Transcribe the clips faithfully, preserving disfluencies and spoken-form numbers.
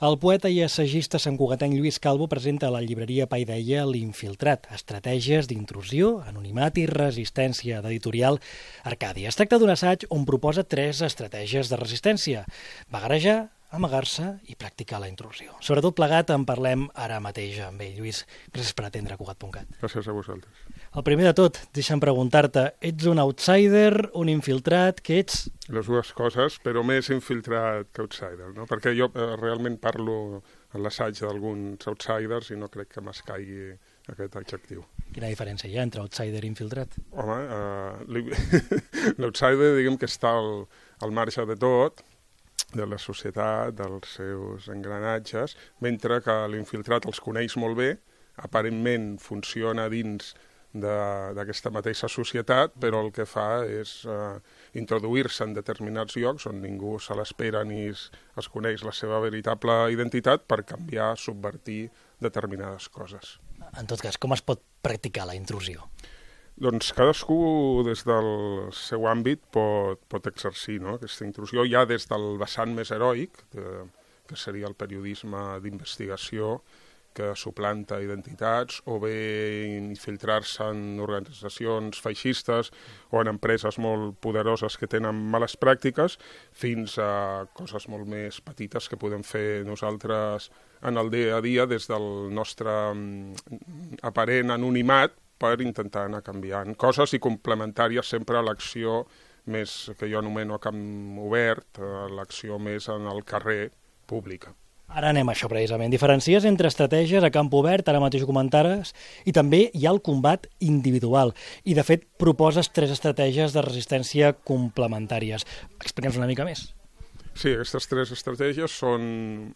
El poeta i assagista santcugatenc Lluís Calvo presenta a la llibreria Paideia L'Infiltrat, estratègies d'intrusió, anonimat i resistència, d'editorial Arcàdia. Es tracta d'un assaig on proposa tres estratègies de resistència: vagarejar, amagar-se i practicar la intrusió. Sobretot plegat en parlem ara mateix amb ell. Lluís, gràcies per atendre Cugat punt cat. Gràcies a vosaltres. El primer de tot, deixa'm preguntar-te, ets un outsider, un infiltrat, què ets? Les dues coses, però més infiltrat que outsider, no? Perquè jo eh, realment parlo en l'assaig d'alguns outsiders i no crec que m'escaigui aquest adjectiu. Quina diferència hi ha entre outsider i infiltrat? Home, eh, l'outsider diguem que està al, al marge de tot, de la societat, dels seus engranatges, mentre que l'infiltrat els coneix molt bé, aparentment funciona dins d'aquesta mateixa societat, però el que fa és eh, introduir-se en determinats llocs on ningú se l'espera ni es, es coneix la seva veritable identitat per canviar, subvertir determinades coses. En tot cas, com es pot practicar la intrusió? Doncs cadascú des del seu àmbit pot, pot exercir, no? Aquesta intrusió ja des del vessant més heroic, de, que seria el periodisme d'investigació, que suplanta identitats, o bé infiltrar-se en organitzacions feixistes o en empreses molt poderoses que tenen males pràctiques, fins a coses molt més petites que podem fer nosaltres en el dia a dia des del nostre aparent anonimat, per intentar anar canviant coses i complementàries sempre a l'acció més que jo anomeno a camp obert, l'acció més en el carrer pública. Ara anem a això precisament. Diferencies entre estratègies a camp obert, ara mateix ho comentares, i també hi ha el combat individual. I de fet proposes tres estratègies de resistència complementàries. Explica'ns una mica més. Sí, aquestes tres estratègies són,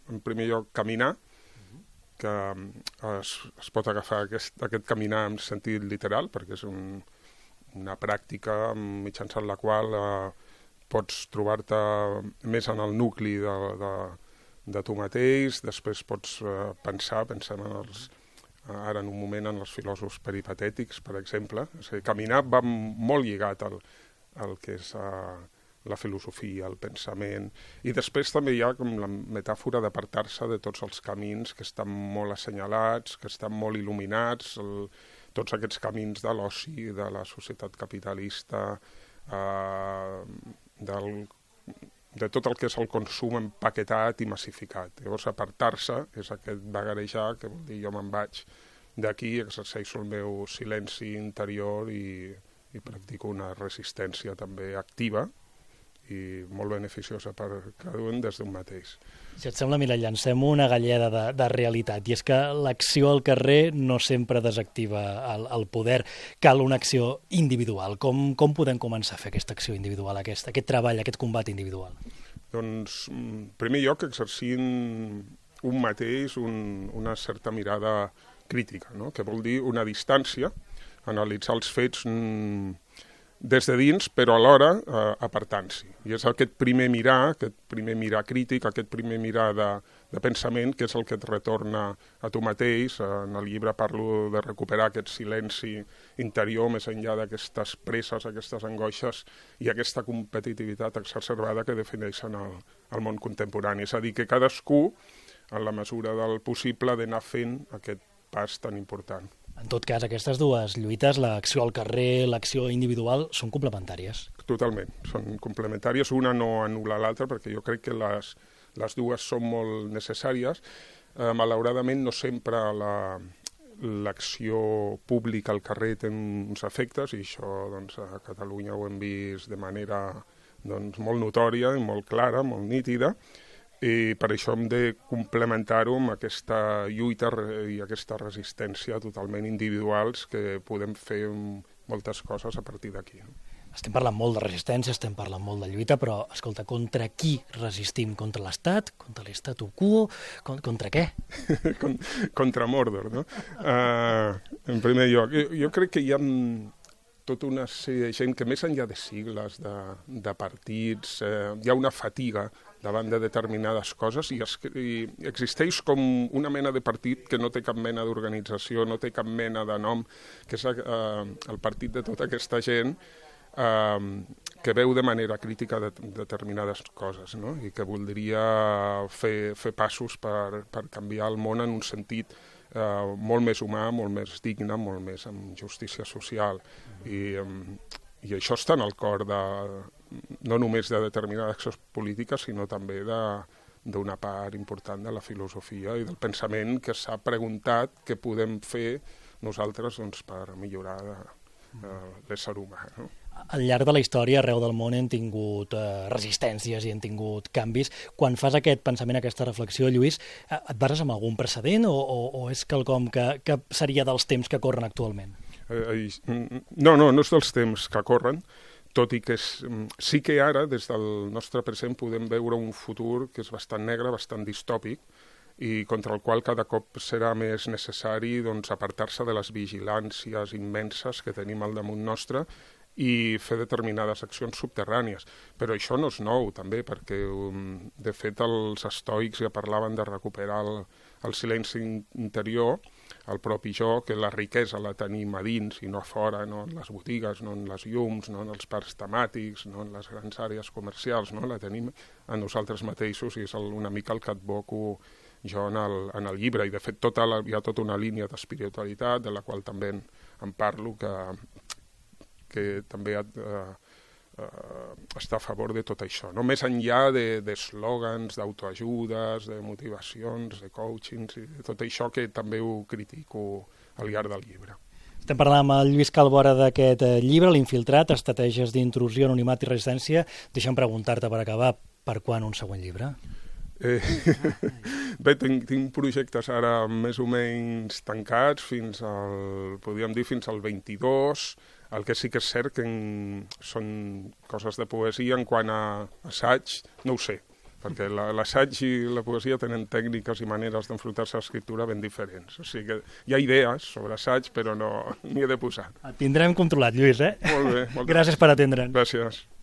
en primer lloc, caminar, que es, es pot agafar aquest, aquest caminar en sentit literal, perquè és un, una pràctica mitjançant la qual eh, pots trobar-te més en el nucli de, de, de tu mateix, després pots eh, pensar, pensant en els, ara en un moment en els filòsofs peripatètics, per exemple. És a dir, caminar va molt lligat al, al que és eh, la filosofia, el pensament, i després també hi ha com la metàfora d'apartar-se de tots els camins que estan molt assenyalats, que estan molt il·luminats, el, tots aquests camins de l'oci, de la societat capitalista, eh, del, de tot el que és el consum empaquetat i massificat. Llavors, apartar-se és aquest vagarejar, que vol dir jo me'n vaig d'aquí, exerceixo el meu silenci interior i, i practico una resistència també activa, i molt beneficiosa per cada un des d'un mateix. Si et sembla, mira, llancem una galleda de, de realitat, i és que l'acció al carrer no sempre desactiva el, el poder, cal una acció individual. Com, com podem començar a fer aquesta acció individual, aquest, aquest treball, aquest combat individual? Doncs, en primer lloc, exercint un mateix un, una certa mirada crítica, no? Que vol dir una distància, analitzar els fets mm, des de dins, però alhora eh, apartant-s'hi. I és aquest primer mirar, aquest primer mirar crític, aquest primer mirar de, de pensament, que és el que et retorna a tu mateix. En el llibre parlo de recuperar aquest silenci interior més enllà d'aquestes presses, aquestes angoixes i aquesta competitivitat exacerbada que defineixen el, el món contemporani. És a dir, que cadascú, en la mesura del possible, ha d'anar fent aquest pas tan important. En tot cas, aquestes dues lluites, l'acció al carrer, l'acció individual, són complementàries. Totalment, són complementàries. Una no anul·la l'altra, perquè jo crec que les, les dues són molt necessàries. Eh, malauradament, no sempre la, l'acció pública al carrer té uns efectes, i això doncs, a Catalunya ho hem vist de manera doncs, molt notòria i molt clara, molt nítida, i per això hem de complementar-ho amb aquesta lluita i aquesta resistència totalment individuals que podem fer moltes coses a partir d'aquí. Estem parlant molt de resistència, estem parlant molt de lluita, però, escolta, contra qui resistim? Contra l'Estat? Contra l'Statu quo? Contra què? Contra Mordor, no? Uh, en primer lloc, jo, jo crec que hi ha tota una sèrie de gent que més enllà de sigles, de, de partits, eh, hi ha una fatiga davant de determinades coses i, es, i existeix com una mena de partit que no té cap mena d'organització, no té cap mena de nom, que és eh, el partit de tota aquesta gent eh, que veu de manera crítica de, determinades coses, no? I que voldria fer, fer passos per, per canviar el món en un sentit eh, molt més humà, molt més digne, molt més amb justícia social. I, eh, i això està en el cor de, no només de determinades accions polítiques, sinó també de d'una part important de la filosofia i del pensament que s'ha preguntat què podem fer nosaltres doncs, per millorar de, de l'ésser humà. No? Al llarg de la història, arreu del món, hem tingut eh, resistències i hem tingut canvis. Quan fas aquest pensament, aquesta reflexió, Lluís, eh, et bases en algun precedent o, o, o és quelcom que, que seria dels temps que corren actualment? Eh, no, no, no és dels temps que corren, tot i que és, sí que ara, des del nostre present, podem veure un futur que és bastant negre, bastant distòpic, i contra el qual cada cop serà més necessari doncs, apartar-se de les vigilàncies immenses que tenim al damunt nostre i fer determinades accions subterrànies. Però això no és nou, també, perquè, de fet, els estoics ja parlaven de recuperar el, el silenci interior, el propi jo, que la riquesa la tenim a dins i no a fora, no en les botigues, no en les llums, no en els parcs temàtics, no en les grans àrees comercials, no? La tenim a nosaltres mateixos i és el, una mica el que advoco jo en el, en el llibre. I de fet tota la, hi ha tota una línia d'espiritualitat de la qual també en, en parlo que, que també eh, Uh, està a favor de tot això, no? Més enllà d'eslògans, de, d'autoajudes, de motivacions, de coachings, i de tot això que també ho critico al llarg del llibre. Estem parlant amb el Lluís Calvo ara d'aquest llibre, L'Infiltrat, estratègies d'intrusió, anonimat i resistència. Deixa'm preguntar-te per acabar, per quan un següent llibre? Eh, bé, tinc, tinc projectes ara més o menys tancats fins al, podríem dir, fins al vint-i-dos. El que sí que és cert que en, són coses de poesia. En quant a assaig, no ho sé, perquè l'assaig i la poesia tenen tècniques i maneres d'enfrontar-se a l'escriptura ben diferents. O sigui que hi ha idees sobre assaig, però no n'hi he de posar. Et tindrem controlat, Lluís, eh? Molt bé. Gràcies per atendre'ns. Gràcies.